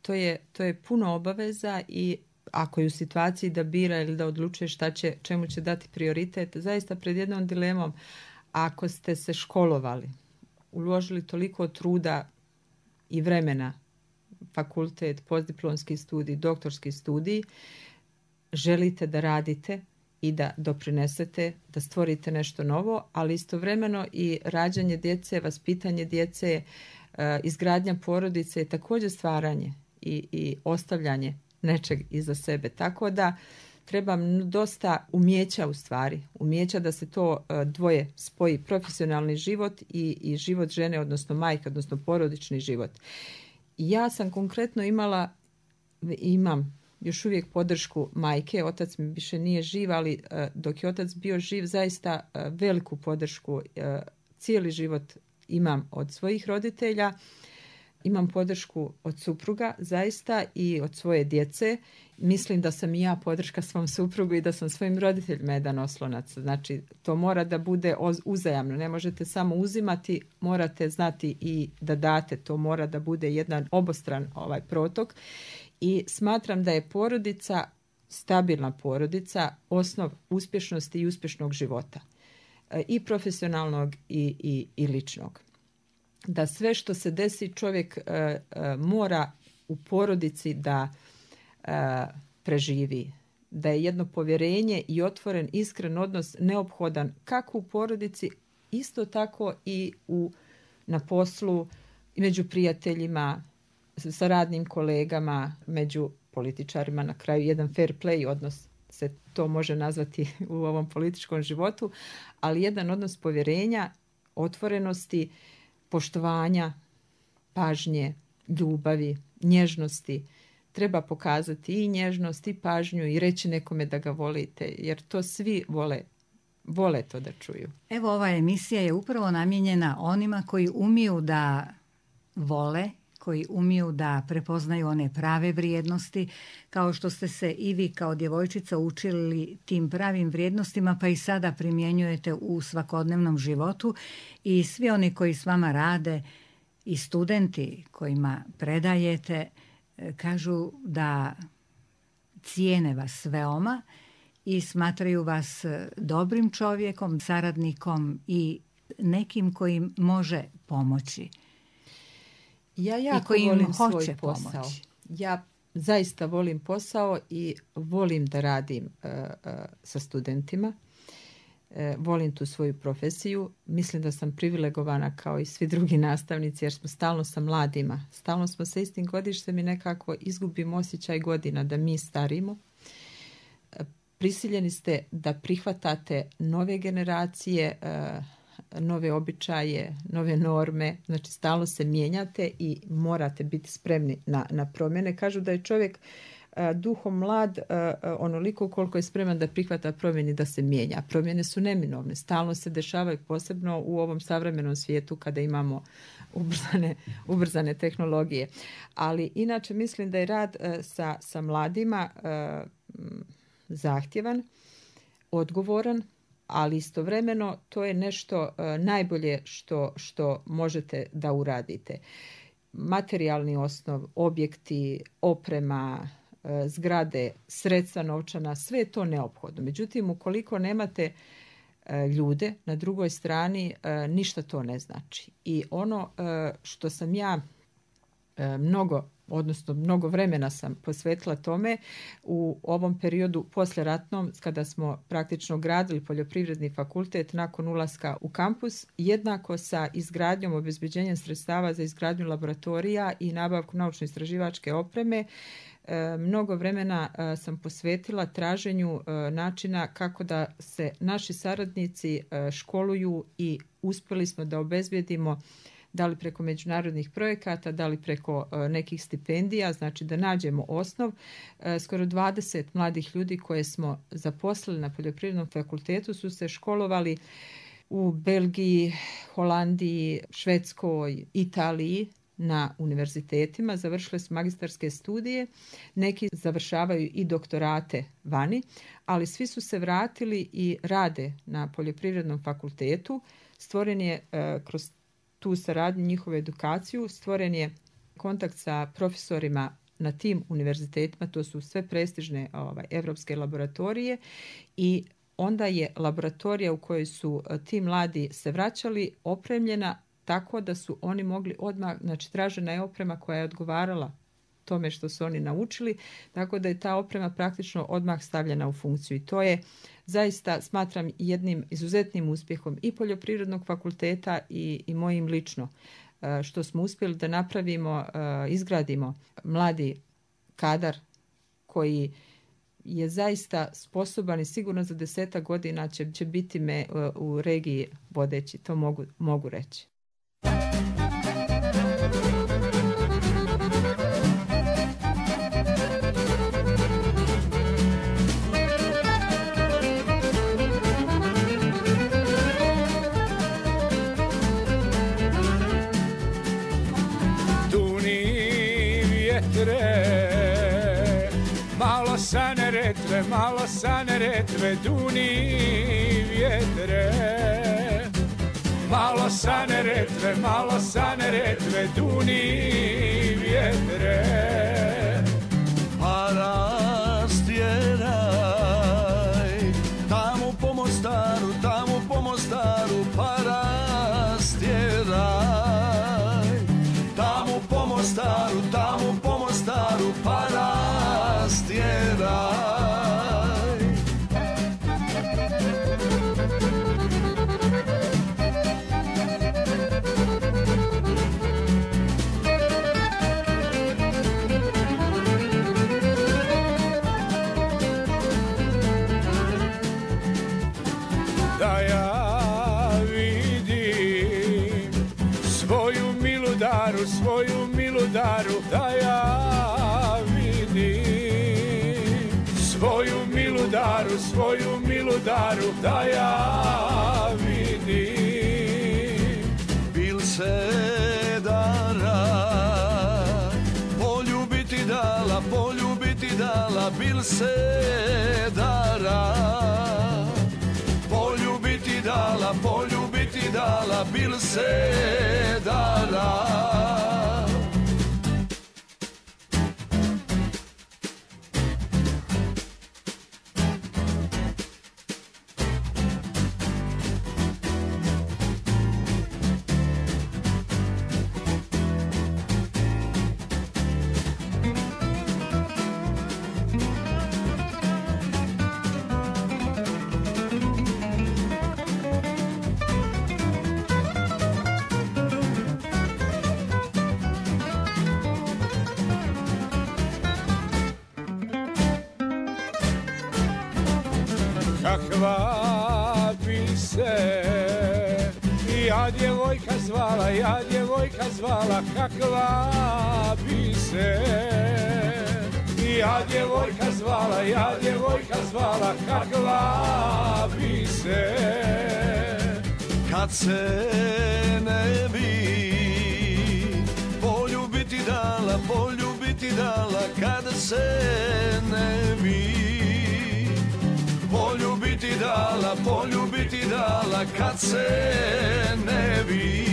To je, to je puno obaveza i ako je u situaciji da bira ili da odlučuje šta će, čemu će dati prioritet, zaista pred jednom dilemom, ako ste se školovali, uložili toliko truda i vremena, fakultet, postdiplomski studij, doktorski studij, želite da radite i da doprinesete, da stvorite nešto novo, ali istovremeno i rađanje djece, vaspitanje djece, izgradnja porodice je također stvaranje i, i ostavljanje nečeg iza sebe. Tako da treba dosta umjeća u stvari, umjeća da se to dvoje spoji, profesionalni život i, i život žene, odnosno majke, odnosno porodični život. Ja sam konkretno imala, imam još uvijek podršku majke, otac mi više nije živ, ali dok je otac bio živ, zaista veliku podršku cijeli život imam od svojih roditelja. Imam podršku od supruga zaista i od svoje djece. Mislim da sam i ja podrška svom suprugu i da sam svojim roditeljima jedan oslonac. Znači, to mora da bude uzajamno. Ne možete samo uzimati, morate znati i da date. To mora da bude jedan obostran ovaj protok. I smatram da je porodica, stabilna porodica, osnov uspješnosti i uspješnog života. I profesionalnog i, i, i ličnog. Da sve što se desi čovjek uh, uh, mora u porodici da uh, preživi. Da je jedno povjerenje i otvoren, iskren odnos neophodan kako u porodici, isto tako i u, na poslu, i među prijateljima, sa radnim kolegama, među političarima, na kraju jedan fair play odnos se to može nazvati u ovom političkom životu, ali jedan odnos povjerenja, otvorenosti, poštovanja, pažnje, ljubavi, nježnosti. Treba pokazati i nježnost i pažnju i reći nekome da ga volite, jer to svi vole, vole to da čuju. Evo, ova emisija je upravo namijenjena onima koji umiju da vole, koji umiju da prepoznaju one prave vrijednosti, kao što ste se i vi kao djevojčica učili tim pravim vrijednostima, pa i sada primjenjujete u svakodnevnom životu, i svi oni koji s vama rade i studenti kojima predajete kažu da cijene vas veoma i smatraju vas dobrim čovjekom, saradnikom i nekim kojim može pomoći. Ja jako volim svoj posao. Pomoći. Ja zaista volim posao i volim da radim uh, uh, sa studentima. Uh, volim tu svoju profesiju. Mislim da sam privilegovana kao i svi drugi nastavnici, jer smo stalno sa mladima. Stalno smo sa istim godištem i nekako izgubimo osjećaj godina da mi starimo. Uh, prisiljeni ste da prihvatate nove generacije, uh, nove običaje, nove norme, znači stalno se mijenjate i morate biti spremni na, na promjene. Kažu da je čovjek uh, duhom mlad uh, onoliko koliko je spreman da prihvata promjene, da se mijenja. Promjene su neminovne, stalno se dešavaju, posebno u ovom savremenom svijetu kada imamo ubrzane, ubrzane tehnologije. Ali inače mislim da je rad uh, sa, sa mladima uh, zahtjevan, odgovoran, ali istovremeno to je nešto uh, najbolje što, što možete da uradite. Materijalni osnov, objekti, oprema, uh, zgrade, sredstva novčana, sve je to neophodno. Međutim, ukoliko nemate uh, ljude na drugoj strani, uh, ništa to ne znači. I ono uh, što sam ja uh, mnogo odnosno mnogo vremena sam posvetila tome u ovom periodu poslijeratnom, kada smo praktično gradili poljoprivredni fakultet nakon ulaska u kampus, jednako sa izgradnjom, obezbeđenjem sredstava za izgradnju laboratorija i nabavku naučno-istraživačke opreme. Mnogo vremena sam posvetila traženju načina kako da se naši saradnici školuju i uspjeli smo da obezbedimo, da li preko međunarodnih projekata, da li preko uh, nekih stipendija, znači da nađemo osnov. Uh, skoro dvadeset mladih ljudi koje smo zaposlili na poljoprivrednom fakultetu su se školovali u Belgiji, Holandiji, Švedskoj, Italiji na univerzitetima. Završili su magistarske studije, neki završavaju i doktorate vani, ali svi su se vratili i rade na poljoprivrednom fakultetu. Stvoren je uh, kroz tu saradnju, njihovu edukaciju, stvoren je kontakt sa profesorima na tim univerzitetima, to su sve prestižne ovaj, evropske laboratorije, i onda je laboratorija u kojoj su ti mladi se vraćali opremljena tako da su oni mogli odmah, znači tražena je oprema koja je odgovarala tome što su oni naučili, tako da je ta oprema praktično odmah stavljena u funkciju. I to je zaista, smatram, jednim izuzetnim uspjehom i poljoprivrednog fakulteta i, i mojim lično, što smo uspjeli da napravimo, izgradimo mladi kadar koji je zaista sposoban i sigurno za desetak godina će, će biti me u regiji vodeći, to mogu, mogu reći. Malo sa Neretve, malo sa Neretve, duni vjetre. Malo sa Neretve, malo sa Neretve, duni vjetre. Pa rastjeraj, tamo po Mostaru, tamo po Mostaru, pa rastjeraj. Tamo po Mostaru, tamo po Mostaru, pa rastjeraj. Da ja vidim svoju milu daru, svoju milu daru, da ja vidim svoju milu daru, svoju milu daru, da ja vidim. Bil se dara, poljubiti dala, poljubiti dala, bil se dara. Poljubiti dala, poljubiti dala, bil se dara. Kakva bi se ja djevojka zvala, ja djevojka zvala, kakva bi se ja djevojka zvala, ja djevojka zvala, kakva bi se. Kad se ne bi poljubiti dala, poljubiti dala, kad se ne bi poljubiti dala, poljubiti dala, kad se ne bi.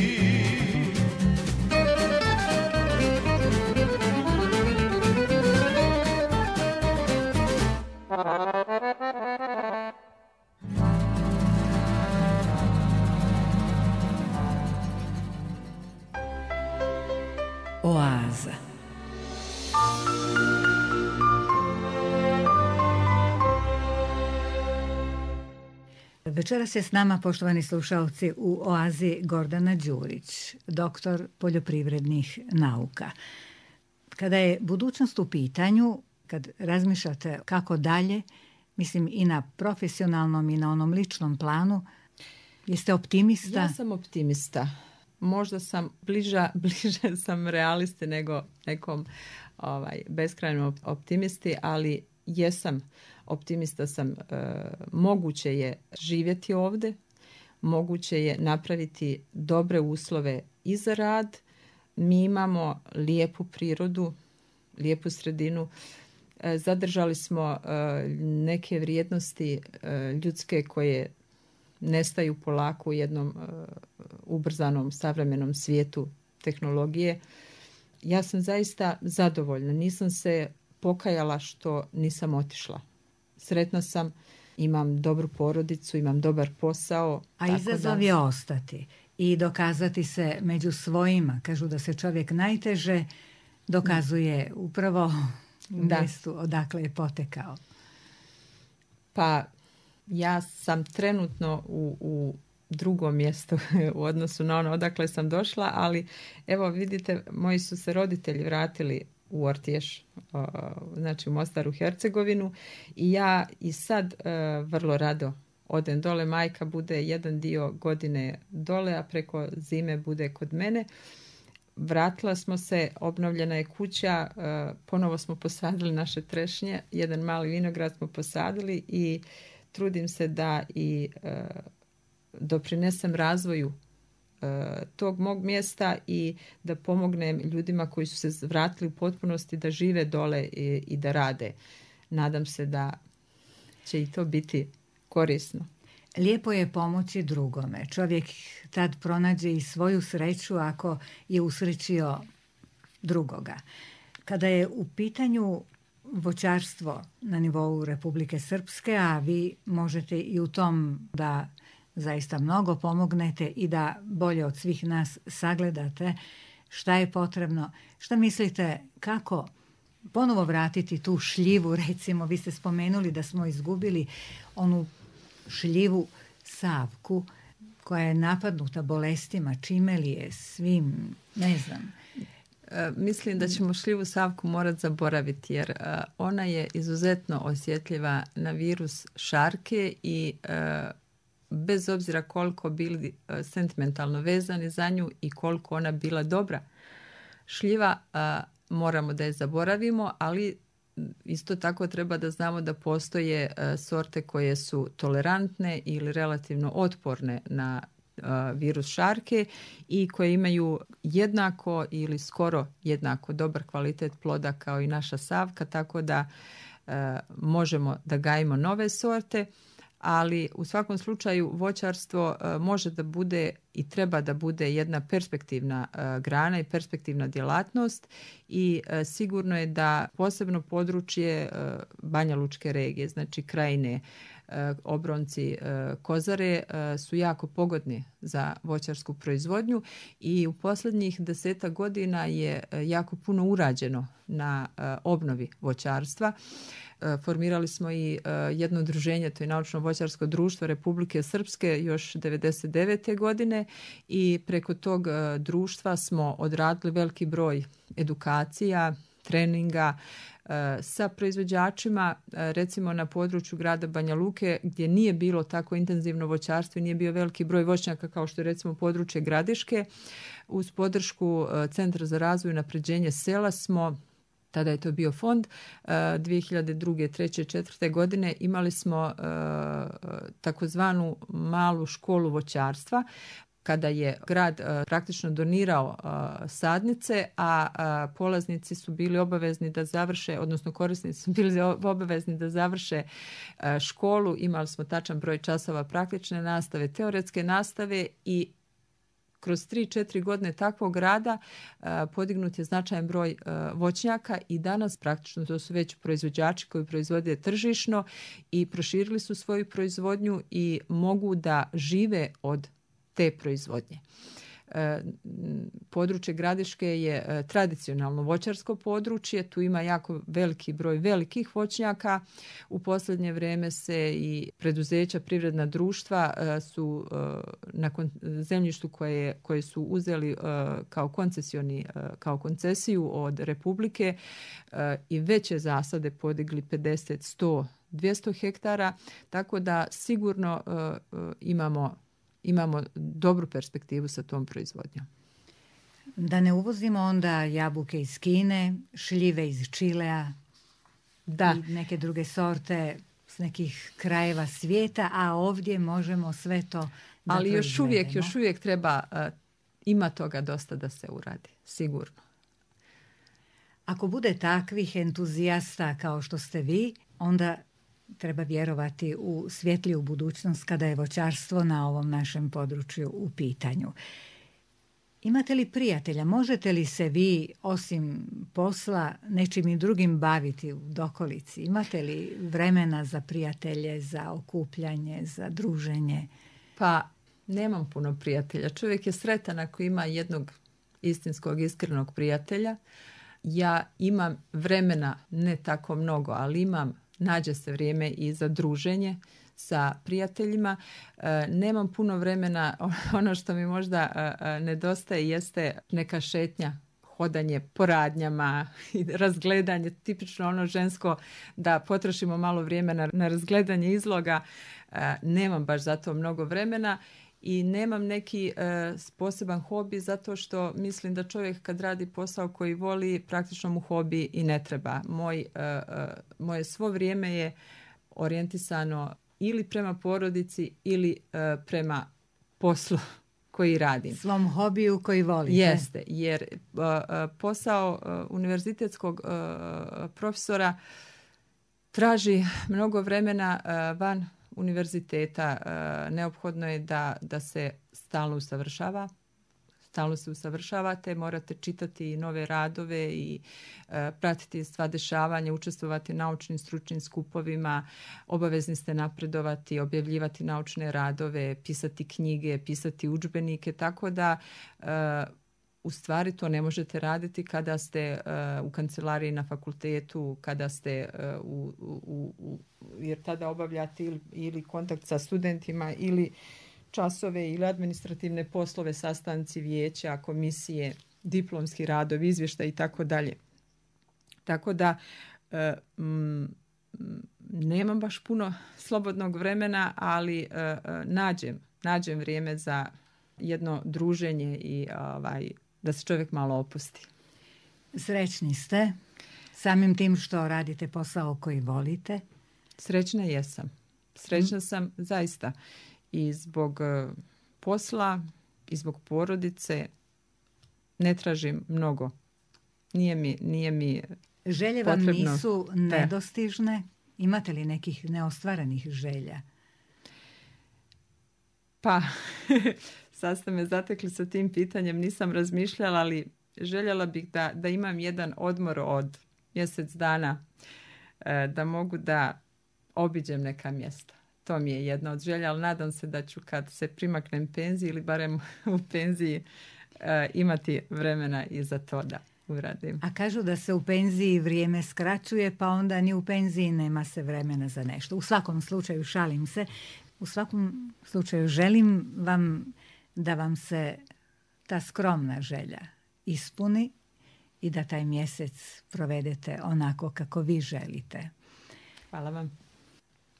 Oaza. Večeras je s nama, poštovani slušalci, u Oazi Gordana Đurić, doktor poljoprivrednih nauka. Kada je budućnost u pitanju, kad razmišljate kako dalje, mislim i na profesionalnom i na onom ličnom planu, jeste optimista? Ja sam optimista. Možda sam bliža, bliže sam realisti nego nekom ovaj, beskrajnom optimisti, ali jesam optimista sam. E, moguće je živjeti ovdje, moguće je napraviti dobre uslove i za rad. Mi imamo lijepu prirodu, lijepu sredinu. E, zadržali smo e, neke vrijednosti e, ljudske koje nestaju polako u jednom uh, ubrzanom savremenom svijetu tehnologije. Ja sam zaista zadovoljna. Nisam se pokajala što nisam otišla. Sretna sam, imam dobru porodicu, imam dobar posao. A izazov da... je ostati i dokazati se među svojima. Kažu da se čovjek najteže dokazuje upravo u da. mjestu odakle je potekao. Pa ja sam trenutno u, u drugom mjestu u odnosu na ono odakle sam došla, ali evo vidite, moji su se roditelji vratili u Ortješ, znači u Mostaru, Hercegovinu. I ja i sad vrlo rado odem dole. Majka bude jedan dio godine dole, a preko zime bude kod mene. Vratila smo se, obnovljena je kuća, ponovo smo posadili naše trešnje, jedan mali vinograd smo posadili i trudim se da i doprinesem razvoju tog mog mjesta i da pomognem ljudima koji su se vratili u potpunosti da žive dole i, i da rade. Nadam se da će i to biti korisno. Lijepo je pomoći drugome. Čovjek tad pronađe i svoju sreću ako je usrećio drugoga. Kada je u pitanju voćarstvo na nivou Republike Srpske, a vi možete i u tom da zaista mnogo pomognete i da bolje od svih nas sagledate šta je potrebno, šta mislite kako ponovo vratiti tu šljivu, recimo vi ste spomenuli da smo izgubili onu šljivu Savku koja je napadnuta bolestima, čime li je, svim, ne znam. E, mislim da ćemo šljivu Savku morati zaboraviti jer e, ona je izuzetno osjetljiva na virus šarke i e, bez obzira koliko bili e, sentimentalno vezani za nju i koliko ona bila dobra. Šljiva e, moramo da je zaboravimo, ali isto tako treba da znamo da postoje uh, sorte koje su tolerantne ili relativno otporne na uh, virus šarke i koje imaju jednako ili skoro jednako dobar kvalitet ploda kao i naša Savka, tako da uh, možemo da gajimo nove sorte, ali u svakom slučaju voćarstvo uh, može da bude i treba da bude jedna perspektivna uh, grana i perspektivna djelatnost i uh, sigurno je da posebno područje uh, Banja Lučke regije, znači Krajine, uh, Obronci, uh, Kozare uh, su jako pogodni za voćarsku proizvodnju i u posljednjih desetak godina je uh, jako puno urađeno na uh, obnovi voćarstva. Formirali smo i uh, jedno udruženje, to je Naučno voćarsko društvo Republike Srpske još devedeset devete godine i preko tog uh, društva smo odradili veliki broj edukacija, treninga uh, sa proizvođačima, uh, recimo na području grada Banja Luke gdje nije bilo tako intenzivno voćarstvo i nije bio veliki broj voćnjaka kao što je recimo područje Gradiške. Uz podršku uh, Centra za razvoj i unapređenje sela smo, tada je to bio fond, dvije hiljade druge, treće, četvrte godine imali smo uh, takozvanu malu školu voćarstva kada je grad uh, praktično donirao uh, sadnice, a uh, polaznici su bili obavezni da završe, odnosno korisnici su bili obavezni da završe uh, školu. Imali smo tačan broj časova praktične nastave, teoretske nastave i kroz tri četiri godine takvog rada uh, podignut je značajan broj uh, voćnjaka i danas praktično to su već proizvođači koji proizvode tržišno i proširili su svoju proizvodnju i mogu da žive od te proizvodnje. Područje Gradiške je tradicionalno voćarsko područje, tu ima jako veliki broj velikih voćnjaka. U posljednje vrijeme se i preduzeća, privredna društva su na zemljištu koje, koje su uzeli kao koncesioni, kao koncesiju od Republike i veće zasade podigli pedeset, sto, dvjesto hektara, tako da sigurno imamo imamo dobru perspektivu sa tom proizvodnjom. Da ne uvozimo onda jabuke iz Kine, šljive iz Čilea da. I neke druge sorte s nekih krajeva svijeta, a ovdje možemo sve to da Ali još proizvedemo. uvijek, još uvijek treba, uh, ima toga dosta da se uradi, sigurno. Ako bude takvih entuzijasta kao što ste vi, onda treba vjerovati u svjetliju budućnost kada je voćarstvo na ovom našem području u pitanju. Imate li prijatelja? Možete li se vi, osim posla, nečim i drugim baviti u dokolici? Imate li vremena za prijatelje, za okupljanje, za druženje? Pa, nemam puno prijatelja. Čovjek je sretan ako ima jednog istinskog, iskrenog prijatelja. Ja imam vremena, ne tako mnogo, ali imam nađe se vrijeme i za druženje sa prijateljima. E, nemam puno vremena, ono što mi možda e, nedostaje jeste neka šetnja hodanje po radnjama i razgledanje, tipično ono žensko da potrošimo malo vremena na razgledanje izloga. Nemam baš za to mnogo vremena i nemam neki poseban hobi zato što mislim da čovjek kad radi posao koji voli, praktično mu hobi i ne treba. Moj, moje svo vrijeme je orijentisano ili prema porodici ili prema poslu koji radim. Svom hobiju koji volite. Jeste, jer uh, posao uh, univerzitetskog uh, profesora traži mnogo vremena uh, van univerziteta. Uh, neophodno je da, da se stalno usavršava. Stalno se usavršavate, morate čitati nove radove i e, pratiti sva dešavanja, učestvovati u naučnim stručnim skupovima, obavezni ste napredovati, objavljivati naučne radove, pisati knjige, pisati udžbenike, tako da e, u stvari to ne možete raditi kada ste e, u kancelariji na fakultetu, kada ste e, u, u, u, jer tada obavljate ili, ili kontakt sa studentima ili časove ili administrativne poslove, sastanci vijeća, komisije, diplomski radovi, izvještaj i tako dalje. Tako da e, m, nemam baš puno slobodnog vremena, ali e, nađem, nađem vrijeme za jedno druženje i ovaj, da se čovjek malo opusti. Srećni ste samim tim što radite posao koji volite? Srećna jesam. Srećna sam zaista. I zbog posla, i zbog porodice ne tražim mnogo. Nije mi, nije mi Želje vam potrebno. Nisu nedostižne? Imate li nekih neostvarenih želja? Pa, sad ste me zatekli sa tim pitanjem, nisam razmišljala, ali željela bih da, da imam jedan odmor od mjesec dana, da mogu da obiđem neka mjesta. To mi je jedna od želja, ali nadam se da ću kad se primaknem penziji ili barem u penziji e, imati vremena i za to da uradim. A kažu da se u penziji vrijeme skraćuje, pa onda ni u penziji nema se vremena za nešto. U svakom slučaju, šalim se, u svakom slučaju želim vam da vam se ta skromna želja ispuni i da taj mjesec provedete onako kako vi želite. Hvala vam.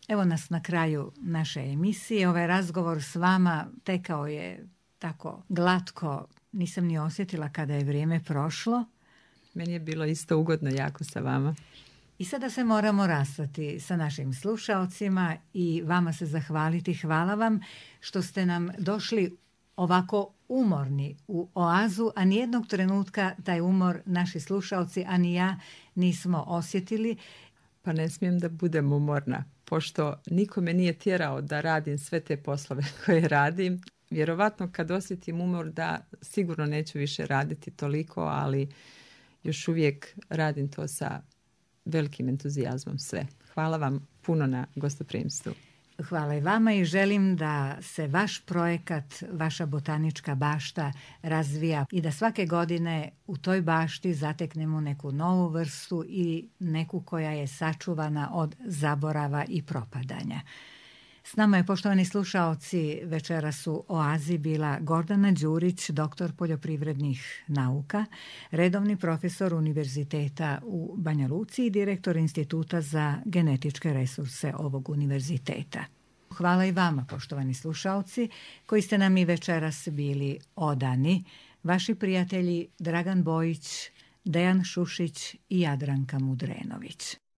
Evo nas na kraju naše emisije. Ovaj razgovor s vama tekao je tako glatko. Nisam ni osjetila kada je vrijeme prošlo. Meni je bilo isto ugodno jako sa vama. I sada se moramo rastati sa našim slušaocima i vama se zahvaliti. Hvala vam što ste nam došli ovako umorni u oazu, a nijednog trenutka taj umor naši slušaoci, a ni ja nismo osjetili. Pa ne smijem da budem umorna, pošto niko me nije tjerao da radim sve te poslove koje radim. Vjerovatno kad osjetim umor da sigurno neću više raditi toliko, ali još uvijek radim to sa velikim entuzijazmom sve. Hvala vam puno na gostoprimstvu. Hvala i vama i želim da se vaš projekat, vaša botanička bašta razvija i da svake godine u toj bašti zateknemo neku novu vrstu i neku koja je sačuvana od zaborava i propadanja. S nama je, poštovani slušaoci, večeras u oazi bila Gordana Đurić, doktor poljoprivrednih nauka, redovni profesor Univerziteta u Banja Luci i direktor Instituta za genetičke resurse ovog univerziteta. Hvala i vama, poštovani slušaoci, koji ste nam i večeras bili odani. Vaši prijatelji Dragan Bojić, Dejan Šušić i Jadranka Mudrenović.